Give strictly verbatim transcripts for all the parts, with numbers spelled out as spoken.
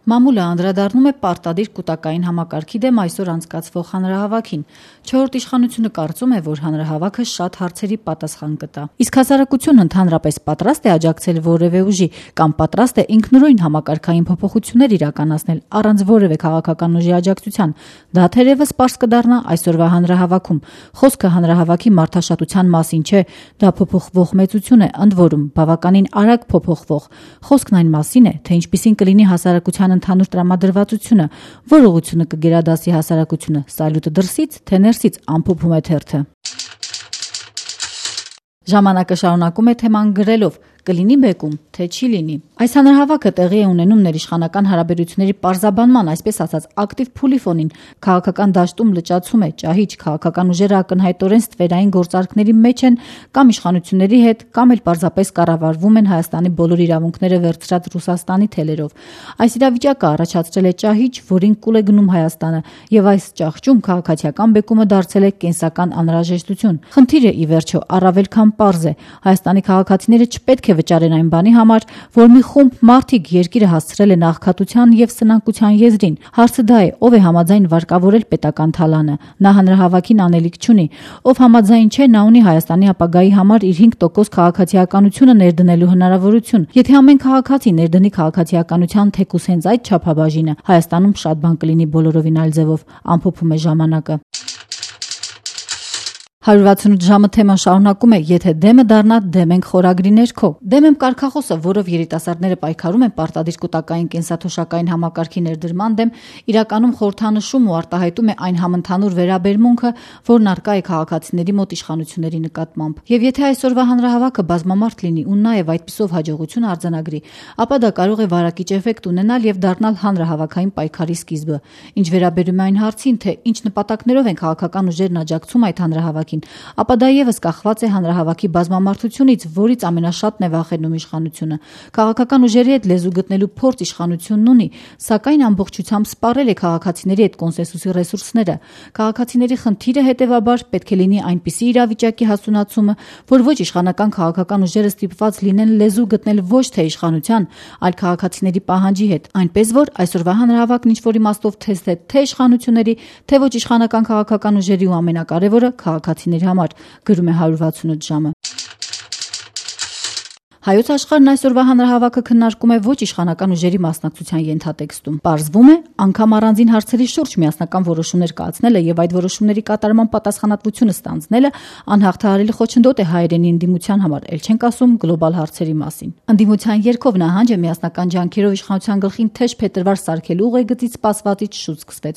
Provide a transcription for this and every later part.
Մամուլը անդրադառնում է պարտադիր կուտակային համակարգի դեմ այսօր անցկացվող հանրահավաքին։ Չորրորդ իշխանությունը կարծում է, որ հանրահավաքը շատ հարցերի պատասխան կտա։ Իսկ հասարակությունն ընդհանրապես պատրաստ է աջակցել որևէ ուժի կամ պատրաստ է ինքնուրույն համակարգային փոփոխություններ իրականացնել առանց որևէ քաղաքական ուժի աջակցության։ Դա թերևս պարզ կդառնա այսօրվա հանրահավաքում։ Խոսքը հանրահավաքի մարդաշատության մասին չէ, դա փոփոխվող մեծություն է, ընդ որում բավականին արագ փոփոխվող։ Խոսքն այն մասին է, թե ինչպիսին կլինի հասարակության ընդհանուր տրամադրվածությունը, որ ուղղությունը կգերադասի հասարակությունը, սալյուտը դրսից, թե ներսից, ամփոփում է թերթը։ Ժամանակը շարունակում է թեման գրելով. կլինի բեկում, թե չի լինի։ Այս հանրահավաքը տեղի է ունենում ներիշխանական հարաբերությունների պարզաբանման, այսպես ասած, ակտիվ փուլի ֆոնին։ Քաղաքական դաշտում լճացում է, ճահիճ, քաղաքական ուժերը ակնհայտորեն ստվերային գործարքների մեջ են կամ իշխանությունների հետ, կամ էլ պարզապես կառավարվում են Հայաստանի բոլոր իրավունքները վերցրած Ռուսաստանի թելերով։ Այս իրավիճակը առաջացրել է ճահիճ, որին կուլ է գնում Հայաստանը, եւ այս ճահճում քաղաքացիական բեկումը դարձել է կենսական անհրաժեշտություն։ Խնդիրը ի վերջո առավել քան պարզ է։ Հայաստանի քաղաքացիները չպետք է վճարեն այն բանի համար, որ մի խումբ մարդիկ երկիրը հասցրել են աղքատության եւ սնանկության եզրին։ Հարցը դա է, ով է համաձայն վարկավորել պետական թալանը։ Նա հանրահավաքին անելիք չունի։ Ով համաձայն չէ, նա ունի Հայաստանի ապագայի համար իր հինգ տոկոս քաղաքացիականությունը ներդնելու հնարավորություն։ Եթե ամեն քաղաքացի ներդնի քաղաքացիականության թեկուզ հենց այդ չափաբաժինը, Հայաստանում շատ բան կլինի բոլորովին այլ ձևով, ամփոփում է ժամանակը։ հարյուր վաթսունութ ժամը թեման շարունակում է. եթե դեմը դառնա, դեմ ենք խորագրի ներքո։ Դեմ եմ կարգախոսը, որով երիտասարդները պայքարում են պարտադիր կուտակային կենսաթոշակային համակարգի ներդրման դեմ, իրականում խորհրդանշում ու արտահայտում է այն համընդհանուր վերաբերմունքը, որն առկա է քաղաքացիների մոտ իշխանությունների նկատմամբ։ Եվ եթե այսօրվա հանրահավաքը բազմամարդ լինի ու նաև այդպիսով հաջողություն արձանագրի, ապա դա կարող է վարակիչ էֆեկտ ունենալ եւ դառնալ հանրահավաքային պայքարի սկիզբը։ Ինչ վերաբերում է այն հարցին, թե ինչ նպատակներով են քաղաքական ուժերն աջակցում այդ հանրահավաքին, ապա դա եւս կախված է հանրահավաքի բազմամարդությունից, որից ամենաշատն է վախենում իշխանությունը։ Քաղաքական ուժերի հետ լեզու գտնելու փորձ իշխանությունն ունի, սակայն ամբողջությամբ սպառել է քաղաքացիների հետ կոնսենսուսի ռեսուրսները։ Քաղաքացիների խնդիրը հետևաբար պետք է լինի այնպիսի իրավիճակի հասունացումը, որ ոչ իշխանական քաղաքական ուժերը ստիպված լինեն լեզու գտնել ոչ թե իշխանության, այլ քաղաքացիների պահանջի հետ, այնպես որ այսօրվա հանրահավաքն ինչ որ իմաստով թեստ է թե իշխանությունների, թե ոչ իշխանական քաղաքական ուժերի ու ամենակարևորը քաղաքացիների համար, գրում է հարյուր վաթսունութ ժամը։ Հայոց աշխարհն այսօրվա հանրահավաքը քննարկում է ոչ իշխանական ուժերի մասնակցության ենթատեքստում։ Պարզվում է, անգամ առանձին հարցերի շուրջ միասնական որոշումներ կայացնելը եւ այդ որոշումների կատարման պատասխանատվությունը ստանձնելը անհաղթահարելի խոչընդոտ է հայերենի ընդդիմության համար, ել չենք ասում գլոբալ հարցերի մասին։ Ընդդիմության երգով նահանջը միասնական ջանքերով իշխանության գլխին թեժ փետրվար սարքելու ուղեգծից սպասվածից շուտ սկսվեց։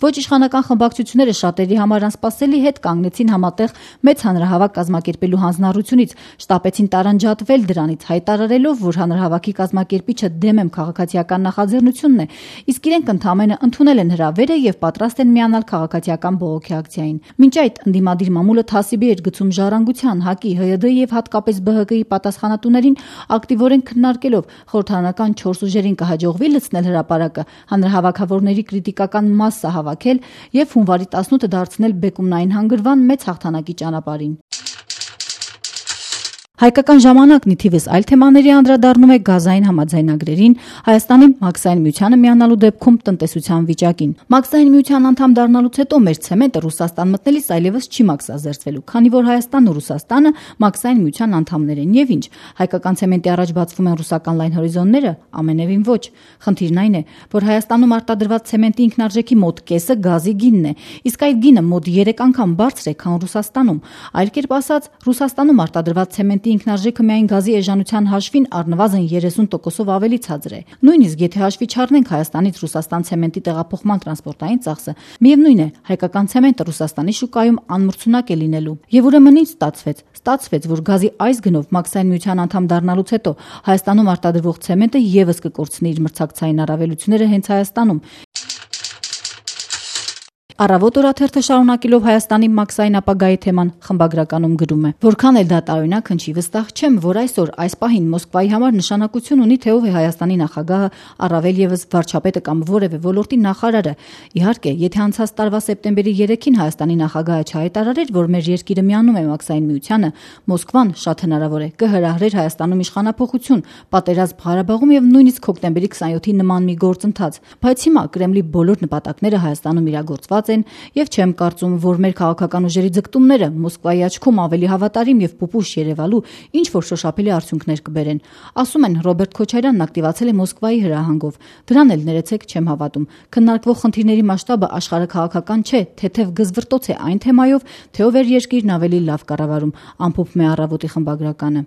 Ոչ իշխանական խմբակցությունները շատերի համար անսպասելի հետ կանգնեցին համատեղ մեծ հանրահավաք կազմակերպելու հանձնառությունից, շտապեցին տարանջատվել դրանից, հայտարարելով, որ հանրահավաքի կազմակերպիչը դեմ եմ քաղաքացիական նախաձեռնությունն է, իսկ իրենք ընդամենը ընդունել են հրավերը եւ պատրաստ են միանալ քաղաքացիական բողոքի ակցիային։ Մինչ այդ ընդդիմադիր մամուլը թասիբի էր գցում ժառանգության, ՀԱԿ-ի, ՀՅԴ-ի եւ հատկապես ԲՀԿ-ի պատասխանատուներին ակտիվորեն քննարկելով խորհրդարանական չորս ուժերին կհաջողվի լցնել հրապարակը, հանրահավաքավորների կրիտիկական մասսա հավաքել եւ հունվարի տասնութը դարձնել բեկումնային հանգրվան մեծ հաղթանակի ճանապարհին։ Հայկական ժամանակն ի թիվս այլ թեմաների անդրադառնում է գազային համաձայնագրերին, Հայաստանի Մաքսային միությանը միանալու դեպքում տնտեսության վիճակին։ Մաքսային միության անդամ դառնալուց հետո մեր ցեմենտը Ռուսաստան մտնելիս այլևս չի մաքսազերծվելու, քանի որ Հայաստանն ու Ռուսաստանը Մաքսային միության անդամներ են եւ ինչ։ Հայկական ցեմենտի առաջ բացվում են ռուսական լայն հորիզոնները, ամենևին ոչ։ Խնդիրն այն է, որ Հայաստանում արտադրված ցեմենտի ինքնարժեքի մոտ կեսը գազի գինն է, իսկ այդ գինը մոտ երեք անգամ բարձր է, քան Ռուսաստանում։ Այլ կերպ ասած, Ռուսաստանում արտադրված ցեմենտի ինքնարժեքը միայն գազի էժանության հաշվին առնվազն երեսուն տոկոսով ավելի ցածր է։ Նույնիսկ եթե հաշվի չառնենք Հայաստանից Ռուսաստան ցեմենտի տեղափոխման տրանսպորտային ծախսը, միևնույն է, հայկական ցեմենտը Ռուսաստանի շուկայում անմրցունակ է լինելու։ Եվ ուրեմն ինչ ստացվեց։ Ստացվեց, որ գազի այս գնով Մաքսային միության անդամ դառնալուց հետո Հայաստանում արտադրվող ցեմենտը եւս կկորցնի իր մրցակցային առավելությունները հենց Հայաստանում։ Առավոտ օրաթերթը շարունակելով Հայաստանի մաքսային ապագայի թեման խմբագրականում գրում է. որքան էլ դա տարօրինակ հնչի, վստահ չեմ, որ այսօր այս պահին Մոսկվայի համար նշանակություն ունի, թե ով է Հայաստանի նախագահը, առավել ևս վարչապետը կամ որևէ ոլորտի նախարարը։ Իհարկե, եթե անցած տարվա սեպտեմբերի երեքին Հայաստանի նախագահը չհայտարարեր, որ մեր երկիրը միանում է մաքսային միությանը, Մոսկվան շատ հնարավոր է կհրահրեր Հայաստանում իշխանափոխություն, պատերազմ Ղարաբաղում եւ նույնիսկ հոկտեմբերի քսանյոթի նման մի գործընթաց։ Բայց հիմա Կրեմլի բոլոր նպատակները Հայաստանում իրագործված են եւ չեմ կարծում, որ մեր քաղաքական ուժերի ձգտումները Մոսկվայի աչքում ավելի հավատարիմ եւ պուպուշ երևալու ինչ որ շոշափելի արդյունքներ կբերեն։ Ասում են Ռոբերտ Քոչարյանն ակտիվացել է Մոսկվայի հրահանգով։ Դրան էլ ներեցեք չեմ հավատում։ Քննարկվող խնդիրների մասշտաբը աշխարհաքաղաքական չէ, թեթև գզվռտոց է այն թեմայով, թե ով էր երկիրն ավելի լավ կառավարում, ամփոփում է Առավոտի խմբագրականը։